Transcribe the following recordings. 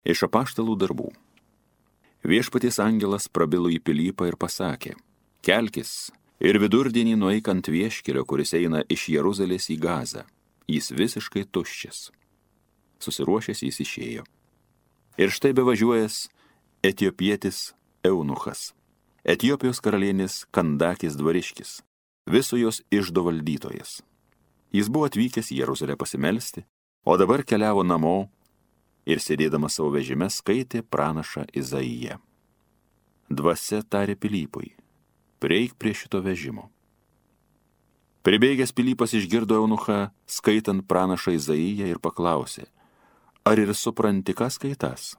Iš apaštalų darbų. Viešpaties angelas prabilo į Pilypą ir pasakė: kelkis ir vidurdienį nueik ant vieškelio, kuris eina iš Jeruzalės į Gazą. Jis visiškai tuščias. Susiruošęs jis išėjo. Ir štai bevažiuojas etiopietis eunuchas, Etiopijos karalienės Kandakės dvariškis, viso jos iždo valdytojas. Jis buvo atvykęs į Jeruzalę pasimelsti, o dabar keliavo namo ir sėdėdamas savo vežime skaitė pranašą Izaiją. Dvasia tarė Pilypui: prieik prie šito vežimo. Pribėgęs Pilypas išgirdo eunuchą skaitant pranašą Izaiją ir paklausė: ar ir supranti, ką skaitas?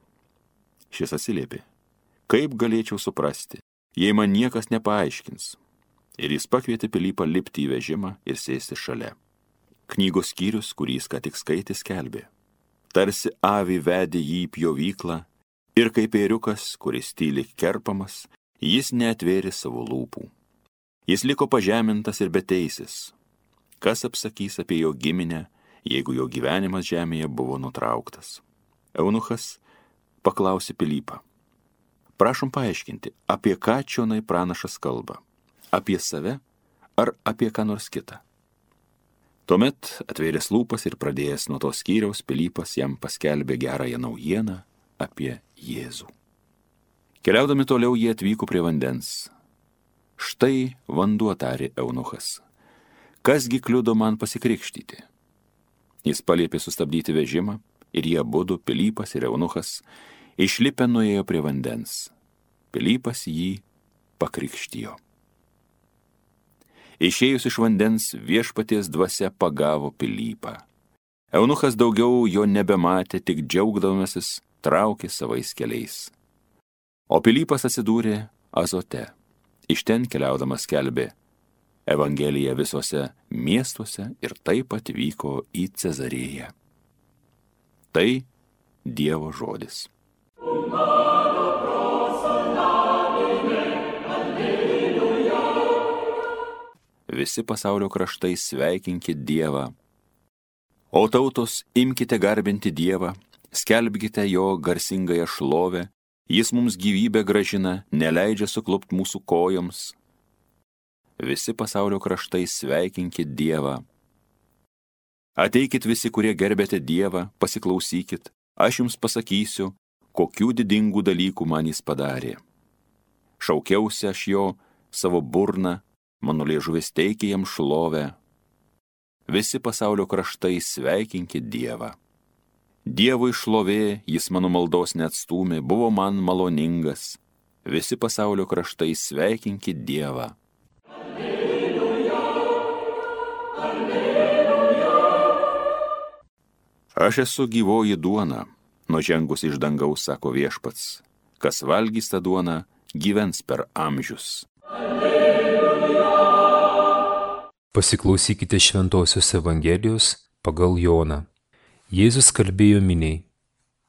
Šis atsiliepė: kaip galėčiau suprasti, jei man niekas nepaaiškins? Ir jis pakvietė Pilypą lipti į vežimą ir sėsti šalia. Knygos skyrius, kurį jis ką tik skaitė, skelbė: tarsi avį vedė jį į pjovyklą, ir kaip ėriukas, kuris tyliai kerpamas, jis neatvėrė savo lūpų. Jis liko pažemintas ir beteisis. Kas apsakys apie jo giminę, jeigu jo gyvenimas žemėje buvo nutrauktas? Eunuchas paklausė Pilypą: prašom paaiškinti, apie ką čionai pranašas kalba? Apie save ar apie ką nors kitą? Tuomet atvėręs lūpas ir pradėjęs nuo to skyriaus, Pilypas jam paskelbė gerąją naujieną apie Jėzų. Keliaudami toliau jie atvyko prie vandens. Štai vanduo, tarė eunuchas. Kasgi kliudo man pasikrikštyti? Jis paliepė sustabdyti vežimą ir jie abudu, Pilypas ir eunuchas, išlipę nuėjo prie vandens. Pilypas jį pakrikštijo. Išėjus iš vandens, Viešpaties dvasia pagavo Pilypą. Eunuchas daugiau jo nebematė, tik džiaugdamasis traukė savais keliais. O Pilypas atsidūrė Azote. Iš ten keliaudamas skelbė Evangeliją visuose miestuose ir taip atvyko į Cezarėją. Tai Dievo žodis. Visi pasaulio kraštai sveikinkit Dievą. O tautos, imkite garbinti Dievą, skelbkite jo garsingąją šlovę, jis mums gyvybę gražina, neleidžia suklupt mūsų kojoms. Visi pasaulio kraštai sveikinkit Dievą. Ateikit visi, kurie gerbėte Dievą, pasiklausykit, aš jums pasakysiu, kokių didingų dalykų man jis padarė. Šaukiausi aš jo savo burną, mano liežuvis teikė jam šlovę. Visi pasaulio kraštai sveikinkit Dievą. Dievui šlovė, jis mano maldos neatstūmė, buvo man maloningas. Visi pasaulio kraštai sveikinkit Dievą. Alleluja, alleluja. Aš esu gyvoji duona, nužengus iš dangaus, sako Viešpats. Kas valgys tą duoną, gyvens per amžius. Alleluja. Pasiklausykite Šventosios Evangelijos pagal Joną. Jėzus kalbėjo miniai: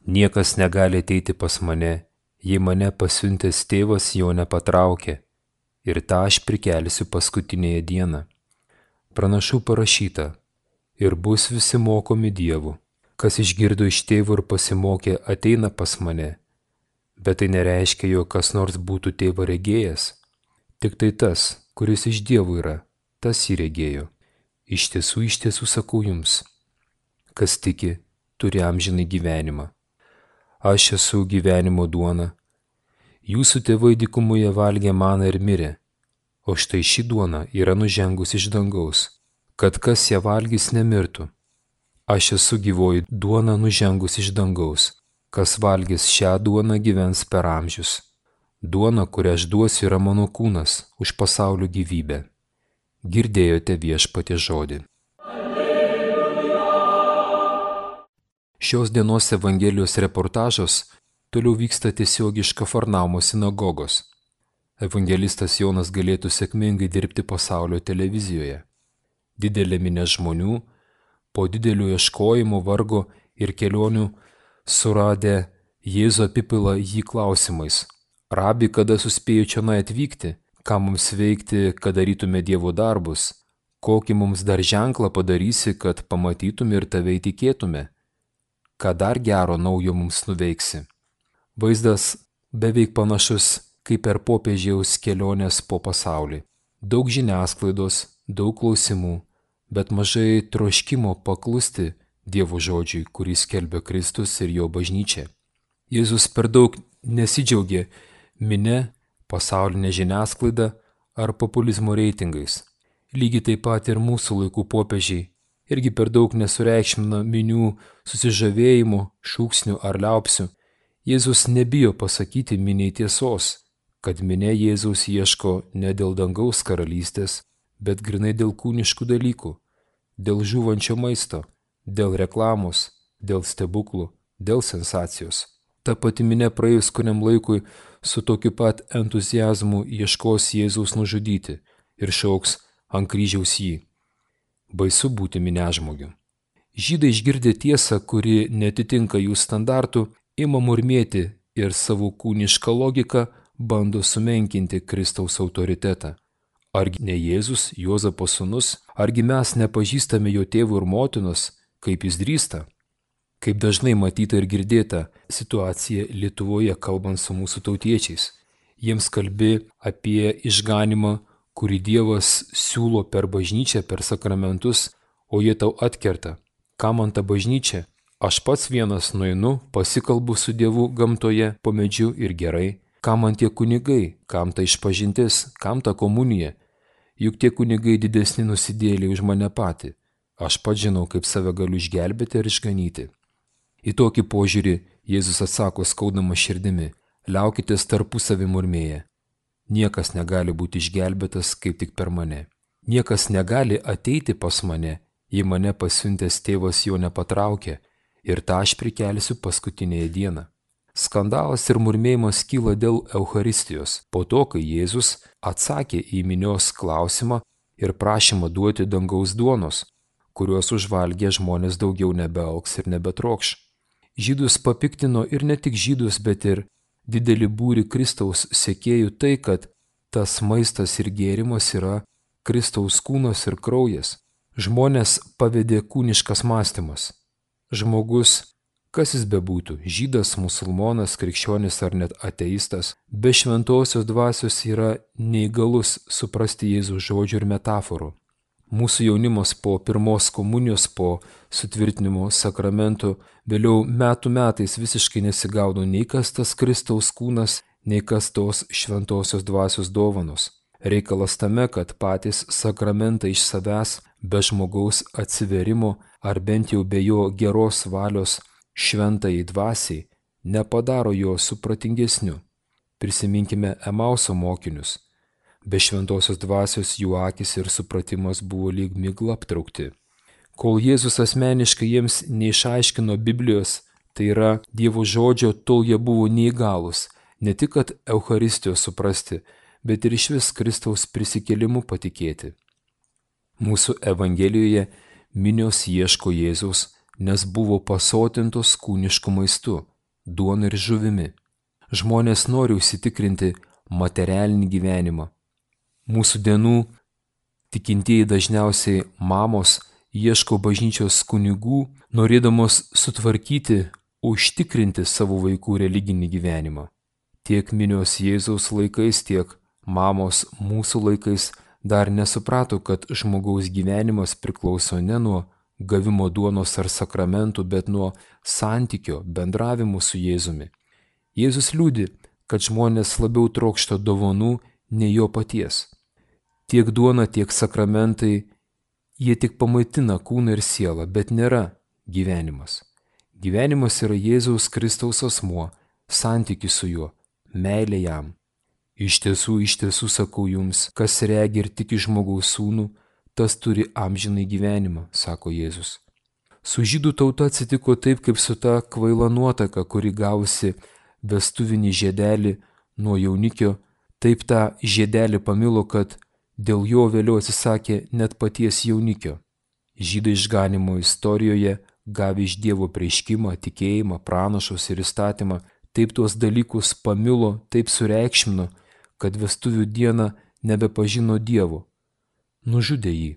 niekas negali ateiti pas mane, jei mane pasiuntęs tėvas jo nepatraukė, ir tą aš prikelsiu paskutinėje dieną. Pranašų parašyta: ir bus visi mokomi Dievu. Kas išgirdo iš tėvo ir pasimokė, ateina pas mane. Bet tai nereiškia, jog kas nors būtų tėvą regėjęs. Tik tai tas, kuris iš Dievo yra, tas jį regėjo. Iš tiesų sakau jums, kas tiki, turi amžinai gyvenimą. Aš esu gyvenimo duona. Jūsų tėvai dykumoje valgė maną ir mirė, o štai ši duona yra nužengus iš dangaus, kad kas ją valgys nemirtų. Aš esu gyvoji duona nužengus iš dangaus, kas valgys šią duoną gyvens per amžius. Duona, kurią aš duosiu, yra mano kūnas už pasaulio gyvybę. Girdėjote Viešpaties žodį. Šios dienos Evangelijos reportažas toliau vyksta tiesiog iš Kafarnaumo sinagogos. Evangelistas Jonas galėtų sėkmingai dirbti pasaulio televizijoje. Didelė minia žmonių, po didelio ieškojimo, vargo ir kelionių suradę Jėzų apipila jį klausimais: Rabi, kada suspėjo čionai atvykti? Ką mums veikti, kad darytume Dievo darbus? Kokį mums dar ženklą padarysi, kad pamatytume ir tave įtikėtume? ką dar gero naujo mums nuveiksi. Vaizdas beveik panašus kaip per popiežiaus kelionės po pasaulį. Daug žiniasklaidos, daug klausimų, bet mažai troškimo paklusti Dievo žodžiui, kurį skelbia Kristus ir jo bažnyčia. Jėzus per daug nesidžiaugė minia, pasaulinė žiniasklaida ar populizmo reitingais. Lygiai taip pat ir mūsų laikų popiežiai irgi per daug nesureikšmina minių susižavėjimų, šūksnių ar liaupsių. Jėzus nebijo pasakyti miniai tiesos, kad minia Jėzaus ieško ne dėl dangaus karalystės, bet grinai dėl kūniškų dalykų, dėl žūvančio maisto, dėl reklamos, dėl stebuklų, dėl sensacijos. Ta pati minia praėjus kuriam laikui su tokiu pat entuziazmu ieškos Jėzaus nužudyti ir šauks ant kryžiaus jį. Baisu būti miniažmogiu. Žydai išgirdę tiesą, kuri netitinka jų standartų, ima murmėti ir savo kūnišką logiką bando sumenkinti Kristaus autoritetą. Argi ne Jėzus, Juozapo sūnus, argi mes nepažįstame jo tėvų ir motinos, kaip jis drįsta? Kaip dažnai matyta ir girdėta situacija Lietuvoje kalbant su mūsų tautiečiais. Jiems kalbi apie išganimą, kurį Dievas siūlo per bažnyčią, per sakramentus, o jie tau atkerta. Kam man ta bažnyčia? Aš pats vienas nueinu, pasikalbu su Dievu gamtoje, po medžiu ir gerai. Kam man tie kunigai? Kam ta išpažintis? Kam ta komunija? Juk tie kunigai didesni nusidėliai už mane patį. Aš pats žinau, kaip save galiu išgelbėti ir išganyti. Į tokį požiūrį Jėzus atsako skaudama širdimi: liaukitės tarpusavį murmėję. Niekas negali būti išgelbėtas kaip tik per mane. Niekas negali ateiti pas mane, jei mane pasiuntęs tėvas jo nepatraukia, ir tą aš prikelsiu paskutinėje dieną. Skandalas ir murmėjimas kyla dėl Eucharistijos, po to, kai Jėzus atsakė į minios klausimą ir prašymą duoti dangaus duonos, kuriuos užvalgę žmonės daugiau nebeaugs ir nebetrokš. Žydus papiktino ir ne tik žydus, bet ir didelį būrį Kristaus sekėjų tai, kad tas maistas ir gėrimas yra Kristaus kūnas ir kraujas. Žmonės pavedė kūniškas mąstymas. Žmogus, kas jis bebūtų, žydas, musulmonas, krikščionis ar net ateistas, be šventosios dvasios yra neįgalus suprasti Jėzaus žodžių ir metaforų. Mūsų jaunimas po pirmos komunijos, po sutvirtinimo sakramentų, vėliau metų metais visiškai nesigaudo nei kas tas Kristaus kūnas, nei kas tos šventosios dvasios dovanos. Reikalas tame, kad patys sakramentai iš savęs, be žmogaus atsiverimo ar bent jau be jo geros valios šventajai dvasiai, nepadaro jo supratingesniu. Prisiminkime Emauso mokinius. Be šventosios dvasios jų akis ir supratimas buvo lyg migla aptraukti. Kol Jėzus asmeniškai jiems neišaiškino Biblijos, tai yra Dievo žodžio, tol jie buvo neįgalūs, ne tik kad Eucharistijos suprasti, bet ir išvis Kristaus prisikėlimu patikėti. Mūsų Evangelijoje minios ieško Jėzaus, nes buvo pasotintos kūnišku maistu, duona ir žuvimi. Žmonės nori užsitikrinti materialinį gyvenimą. Mūsų dienų tikintieji dažniausiai mamos ieško bažnyčios kunigų, norėdamos sutvarkyti, užtikrinti savo vaikų religinį gyvenimą. Tiek minios Jėzaus laikais, tiek mamos mūsų laikais dar nesuprato, kad žmogaus gyvenimas priklauso ne nuo gavimo duonos ar sakramentų, bet nuo santykio, bendravimo su Jėzumi. Jėzus liūdi, kad žmonės labiau trokšta dovanų nei jo paties. Tiek duona, tiek sakramentai, jie tik pamaitina kūną ir sielą, bet nėra gyvenimas. Gyvenimas yra Jėzaus Kristaus asmuo, santykis su juo, meilė jam. Iš tiesų sakau jums, kas regi ir tiki žmogaus sūnų, tas turi amžinai gyvenimą, sako Jėzus. Su žydų tauta atsitiko taip, kaip su ta kvaila nuotaka, kuri gavusi vestuvinį žiedelį nuo jaunikio, taip tą žiedelį pamilo, kad dėl jo vėliau atsisakė net paties jaunikio. Žydai išganimo istorijoje, gavę iš Dievo preiškimą, tikėjimą, pranašus ir įstatymą, taip tuos dalykus pamilo, taip sureikšmino, kad vestuvių dieną nebepažino Dievo. Nužudė jį.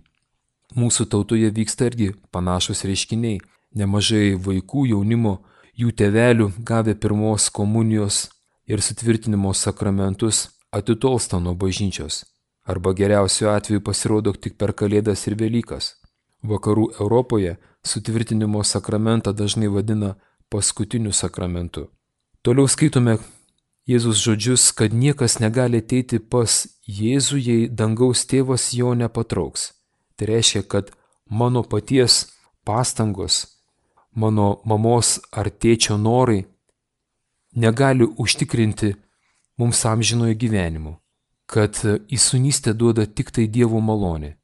Mūsų tautoje vyksta irgi panašus reiškiniai. Nemažai vaikų, jaunimo, jų tėvelių gavę pirmos komunijos ir sutvirtinimo sakramentus atitolsta nuo bažnyčios. Arba geriausiu atveju pasirodo tik per Kalėdas ir Velykas. Vakarų Europoje sutvirtinimo sakramentą dažnai vadina paskutiniu sakramentu. Toliau skaitome Jėzus žodžius, kad niekas negali ateiti pas Jėzų, jei dangaus tėvas jo nepatrauks. Tai reiškia, kad mano paties pastangos, mano mamos ar tėčio norai negali užtikrinti mums amžinojo gyvenimo, kad įsūnystę duoda tik tai Dievo malonė.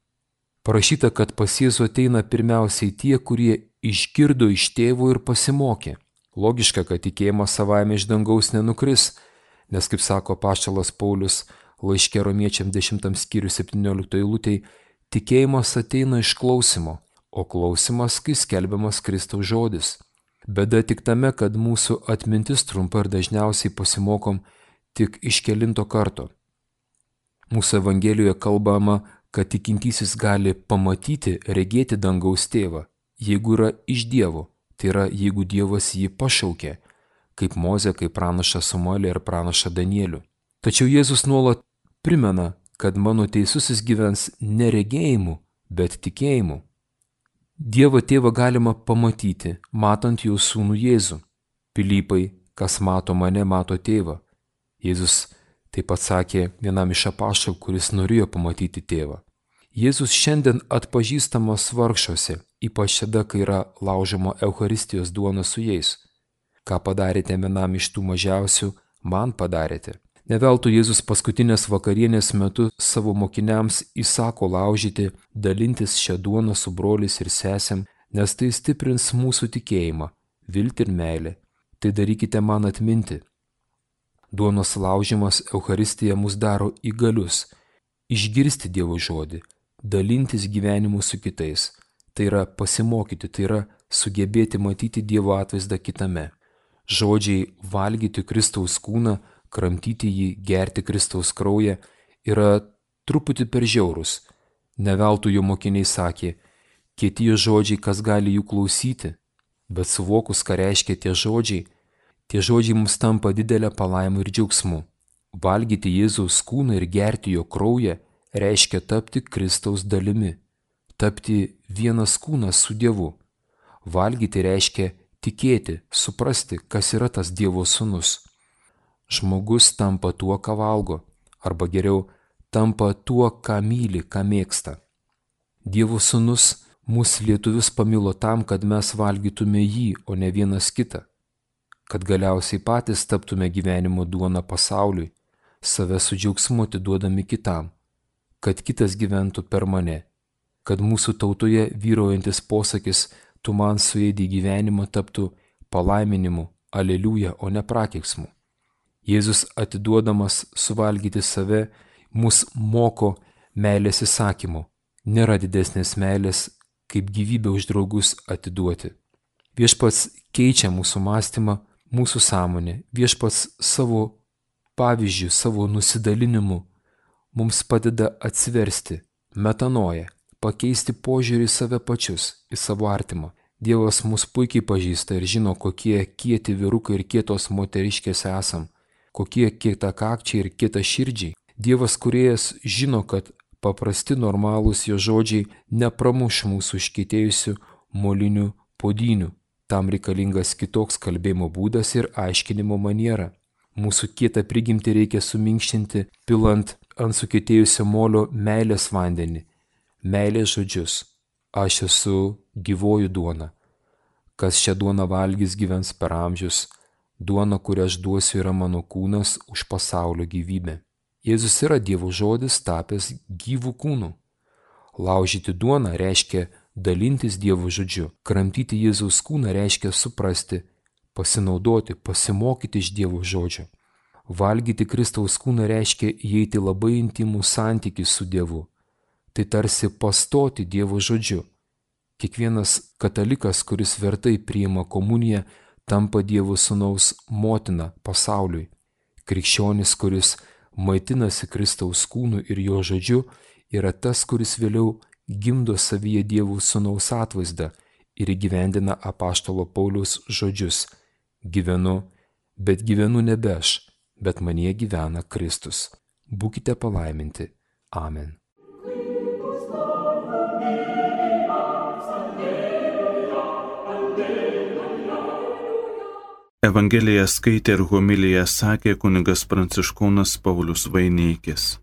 Parašyta, kad pas Jėzų ateina pirmiausiai tie, kurie išgirdo iš tėvo ir pasimokė. Logiška, kad tikėjimas savaime iš dangaus nenukris, nes, kaip sako apaštalas Paulius laiške Romiečiam 10 skyrių 17 eilutėj, tikėjimas ateina iš klausimo, o klausimas, kai skelbiamas Kristaus žodis. Bėda tik tame, kad mūsų atmintis trumpa ir dažniausiai pasimokom tik iš kelinto karto. Mūsų Evangelijoje kalbama, kad tikintysis gali pamatyti, regėti dangaus tėvą, jeigu yra iš Dievo, tai yra, jeigu Dievas jį pašaukė, kaip Mozė, kaip pranašą Samuelį ir pranašą Danielių. Tačiau Jėzus nuolat primena, kad mano teisusis gyvens ne regėjimu, bet tikėjimu. Dievo tėvą galima pamatyti, matant jo sūnų Jėzų. Pilypai, kas mato mane, mato tėvą. Jėzus taip pat sakė vienam iš apaštalų, kuris norėjo pamatyti tėvą. Jėzus šiandien atpažįstamas vargšuose, ypač tada, kai yra laužoma Eucharistijos duona su jais. Ką padarėte vienam iš tų mažiausių, man padarėte. Ne veltui Jėzus paskutinės vakarienės metu savo mokiniams įsako laužyti, dalintis šią duoną su broliais ir sesėm, nes tai stiprins mūsų tikėjimą, viltį ir meilę. Tai darykite man atminti. Duonos laužimas Eucharistija mus daro įgalius, išgirsti Dievo žodį, dalintis gyvenimu su kitais. Tai yra pasimokyti, tai yra sugebėti matyti Dievo atvaizdą kitame. Žodžiai valgyti Kristaus kūną, kramtyti jį, gerti Kristaus kraują yra truputį per žiaurus. Ne veltui jo mokiniai sakė, kieti žodžiai, kas gali jų klausyti, bet suvokus, ką reiškia tie žodžiai mums tampa didelę palaimą ir džiaugsmu. Valgyti Jėzaus kūną ir gerti jo kraują reiškia tapti Kristaus dalimi, tapti vienas kūnas su Dievu. Valgyti reiškia tikėti, suprasti, kas yra tas Dievo sūnus. Žmogus tampa tuo, ką valgo, arba geriau, tampa tuo, ką myli, ką mėgsta. Dievo sūnus mus lietuvius pamilo tam, kad mes valgytume jį, o ne vienas kitą. Kad galiausiai patys taptume gyvenimo duona pasauliui, save su džiaugsmu atiduodami kitam, kad kitas gyventų per mane, kad mūsų tautoje vyraujantis posakis tu man suėdei gyvenimą taptų palaiminimu, aleliuja, o ne prakeiksmu. Jėzus atiduodamas suvalgyti save mus moko meilės įsakymu. Nėra didesnės meilės, kaip gyvybę už draugus atiduoti. Viešpats keičia mūsų mąstymą, mūsų sąmonę. Viešpats savo pavyzdžių, savo nusidalinimu mums padeda atsiversti, metanoją, pakeisti požiūrį į save pačius, į savo artimą. Dievas mus puikiai pažįsta ir žino, kokie kieti vyrukai ir kietos moteriškės esam, kokie kietakakčiai ir kietaširdžiai. Dievas kūrėjas žino, kad paprasti normalūs jo žodžiai nepramuš mūsų iškietėjusių molinių puodynių. Tam reikalingas kitoks kalbėjimo būdas ir aiškinimo maniera. Mūsų kietą prigimtį reikia suminkštinti, pilant ant sukietėjusio molio meilės vandenį, meilės žodžius. Aš esu gyvoji duona. Kas šią duoną valgys, gyvens per amžius. Duona, kurią aš duosiu, yra mano kūnas už pasaulio gyvybę. Jėzus yra Dievo žodis tapęs gyvų kūnų. Laužyti duoną reiškia dalintis Dievo žodžiu. Kramtyti Jėzaus kūną reiškia suprasti, pasinaudoti, pasimokyti iš Dievo žodžio. Valgyti Kristaus kūną reiškia įeiti labai intimų santykį su Dievu. Tai tarsi pastoti Dievo žodžiu. Kiekvienas katalikas, kuris vertai priima komuniją, tampa Dievo sūnaus motina pasauliui. Krikščionis, kuris maitinasi Kristaus kūnu ir jo žodžiu, yra tas, kuris vėliau gimdo savyje Dievo sūnaus atvaizdą ir įgyvendina apaštalo Pauliaus žodžius: gyvenu, bet gyvenu nebe aš, bet manyje gyvena Kristus. Būkite palaiminti. Amen. Evangeliją skaitė ir homiliją sakė kunigas Pranciškonas Paulius Vaineikis.